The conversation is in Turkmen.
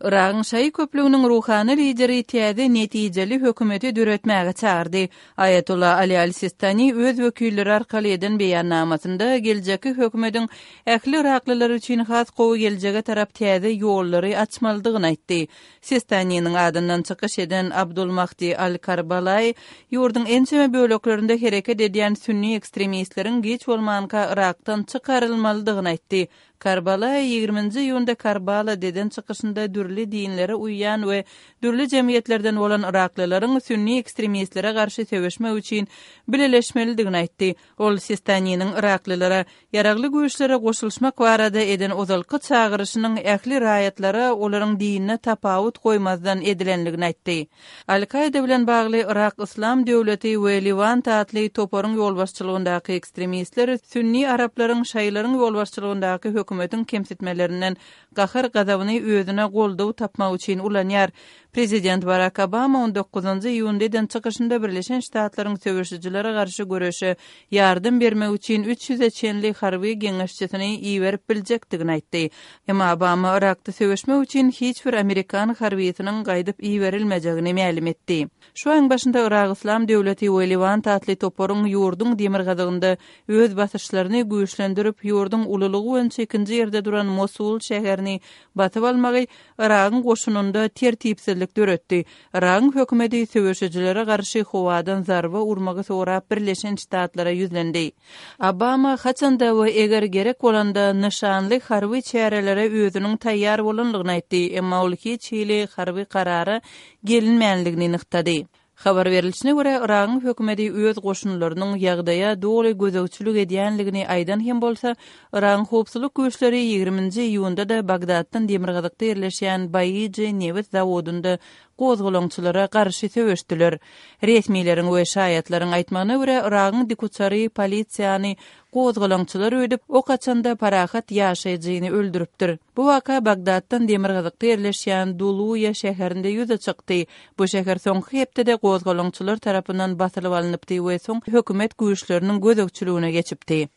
Yragyň şaýy köplüginiň ruhany lideri täze netijeli hökümeti döretmäge çagyrdy. Aýatolla Ali al-Sistani öz wekilleri arkaly eden beýannamasynda geljekki hökümetiň ähli yraklylar üçin has gowy geljege tarap täze ýollary açmalydygyny aýtdy. Sistaniniň adyndan çykyş eden Abdul Mahdi al-Karbalaý ýurduň ençeme böleklerinde hereket edýän sünni ekstremistleriň giç bolmanka Yrakdan çykarylmalydygyny aýtdy. Karbalaý ýigriminji iýunda Karbalada eden çykyşynda dürli dinlere uýýan we dürli jemgyýetlerden bolan yraklylaryň sünni ekstremistlere garşy söweşmek üçin bileleşmelidigini aýtdy. Ol Sistaniniň yraklylara ýaragly güýçlere goşulyşmak barada eden ozalky çagyryşynyň ähli raýatlara olaryň dinine tapawut goýmazdan edilendigini aýtdy. Al-Kaýda bilen bagly Yrak Yslam döwleti we Lewant atly toparyň ýolbaşçylygyndaky ekstremistler sünni araplaryň şaýylaryň ýolbaşçylygyndaky hökümetiň kemsitmelerinden gahar-gazabyny özüne goldaw tapmak üçin ulanýar. Prezident Barak Obama on dokuzynjy iýunda eden çykyşynda Birleşen Ştatlaryň söweşijilere garşy göreşe ýardam bermek üçin üç ýüze çenli harby geňeşçisini iberip biljekdigini aýtdy. Emma Obama Yrakda söweşmek üçin hiç bir amerikan harbysynyň gaýdyp iberilmejegini mälim etdi. Şu aýyň başynda Yrak Yslam döwleti we Lewant atly toparyň ýurduň demirgazygynda öz basyşlaryny güýçlendirip, ýurduň ululygy boýunça ikinji ýerde duran Mosul şäherini basyp almagy Yragyň goşunynda tertipsizlik döretdi. Yragyň hökümeti söweşijilere garşy howadan zarba urmagy sorap Birleşen Ştatlara ýüzlendi. Obama haçanda we eger gerek bolanda nyşanly harby çärelere özüniň taýýar bolanlygyny aýtdy, emma ol hiç hili harby karara gelinmänligini nygtady. Habar berlişine görä, Yragyň hökümeti öz goşunlarynyň ýagdaýa doly gözegçilik edýänligini aýdan hem bolsa, Yragyň howpsuzlyk güýçleri ýigriminji iýunda-da Bagdatdan demirgazykda ýerleşýän Baiji nebit zawodynda gozgalaňçylara garşy söweşdiler. Resmileriň we şaýatlaryň aýtmagyna görä, Yragyň dikuçary polisiýany gozgalaňçylar öýdüp, ok açanda parahat ýaşaýjyny öldüripdir. Bu waka Bagdatdan demirgazykda ýerleşýän Duluýa şäherinde ýüze çykdy. Bu şäher soňky hepdede gozgalaňçylar tarapyndan basylyp alnypdy we soň hökümet güýçleriniň gözegçiligine geçipdi.